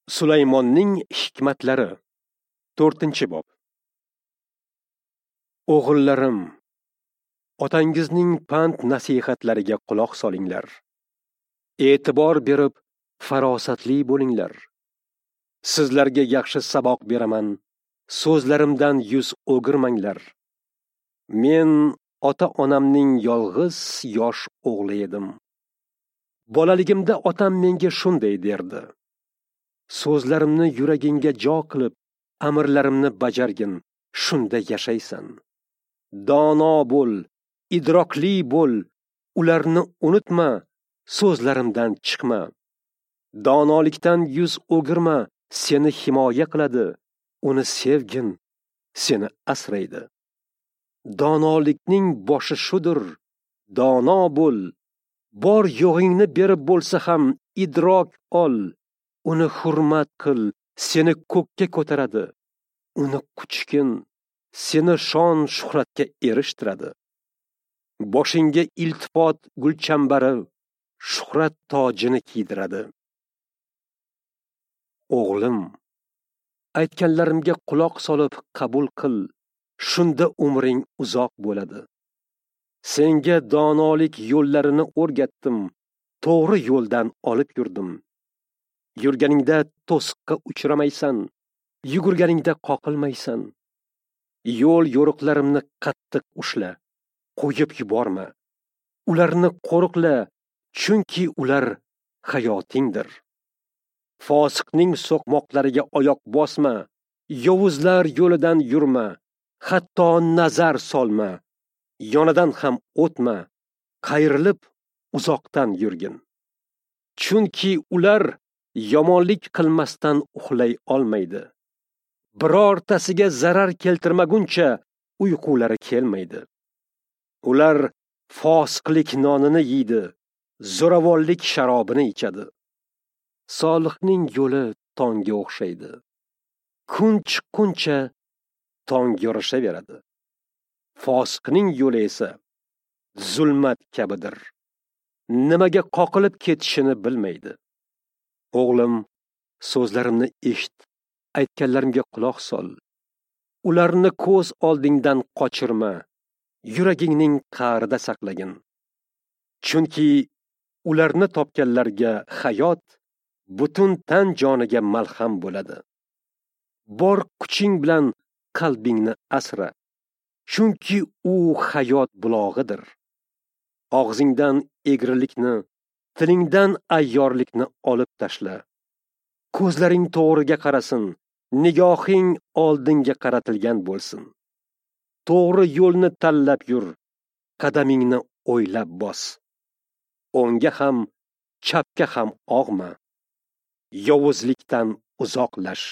Sulaymonning hikmatlari 4-bob. O'g'illarim, otangizning pand nasihatlariga quloq solinglar. E'tibor berib, farosatli bo'linglar. Sizlarga yaxshi saboq beraman, so'zlarimdan yuz o'girmanglar. Men ota-onamning yolg'iz yosh o'g'li edim. Bolaligimda otam menga shunday derdi: so'zlarimni yuragingga jo qilib, amrlarimni bajargin, shunda yashaysan. Dono bo'l, idrokli bo'l, ularni unutma, so'zlarimdan chiqma. Donolikdan yuz o'girma, seni himoya qiladi, uni sevgin, seni asraydi. Donolikning boshi shudur, dono bo'l, bor yo'g'ingni berib bo'lsa ham idrok ol, uni hurmat qil, seni ko'kka ko'taradi, uni quchgin, seni shon shuhratga erishtiradi. Boshingga iltifot gulchambari, shuhrat tojini kiydiradi. O'g'lim, aytganlarimga quloq solib qabul qil, shunda umring uzoq bo'ladi. Senga donolik yo'llarini o'rgatdim, to'g'ri yo'ldan olib yurdim. Yurganingda to'siqqa uchramaysan, yugurganingda qoqilmaysan. Yo'l yo'riqlarimni qattiq ushla, qo'yib yuborma. Ularni qo'riqla, chunki ular hayotingdir. Fosiqning so'qmoqlariga oyoq bosma, yovuzlar yo'lidan yurma, hatto nazar solma, yonidan ham o'tma, qayrilib uzoqdan yurgin. Chunki ular yomonlik qilmasdan uxlay olmaydi. Birortasiga zarar keltirmaguncha uyqulari kelmaydi. Ular fosiqlik nonini yeydi, zo'ravonlik sharobini ichadi. Solihning yo'li tongga o'xshaydi. Kun chiqquncha tong yorishaveradi. Fosiqning yo'li esa zulmat kabidir. Nimaga qoqilib ketishini bilmaydi. O'g'lim, so'zlarimni eshit, aytganlarimga quloq sol. Ularni ko'z oldingdan qochirma, yuragingning qa'rida saqlagin. Chunki ularni topganlarga hayot butun tan joniga malham bo'ladi. Bor kuching bilan qalbingni asra, chunki u hayot bulog'idir. Og'zingdan egrilikni, tilingdan ayyorlikni olib tashla. Ko'zlaring to'g'riga qarasin, nigohing oldinga qaratilgan bo'lsin. To'g'ri yo'lni tanlab yur, qadamingni o'ylab bos. O'ngga ham, chapga ham og'ma. Yovuzlikdan uzoqlash.